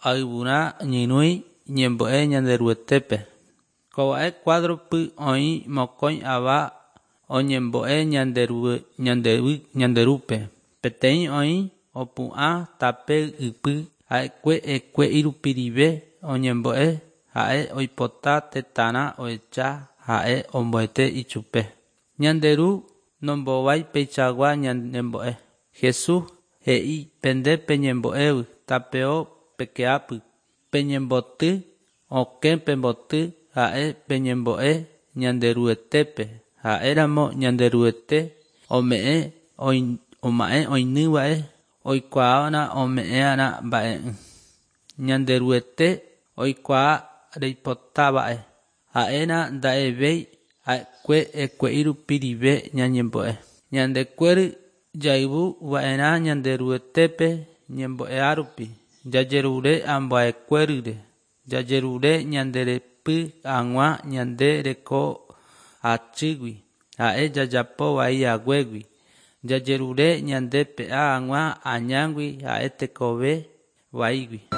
Ayvurã ñyrũi ñembo'e Ñanderuetépe. Kova'e cuadro-py oĩ mokõi ava oñembo'e Ñanderúpe. Peteĩ oĩ opu'ã tape ypy ha'ekue ekue'irupirive oñembo'e ha'e oipota tetãrã ohecha ha'e omboete ichupe. Ñande Ru nombovái peichagua ñanembo'e. Jesús he'i pende peñembo'évy tapeo pekeápy, peñemboty, okẽ pemboty ha'e peñembo'e Ñanderuetépe, ha'éramo Ñanderuete ome'ẽ oma'ẽ oinýva'e oikuaávarã ome'ẽarã mba'e'ỹ. Ñanderuete oikuaa reipotáva'e, ha'érã nda'evéi ha'ekue ekue'irupirive ñañembo'e. Ñandekuéry jayvu va'erã Ñanderuetépe ñembo'eha rupi, jajerure ambuekuéryre, jajerure ñanderepy hag̃ua ñande reko achýgui, ha'e jajapo vai haguégui, jajerure ñande pe'a hag̃ua añágui ha'e tekove vaígui.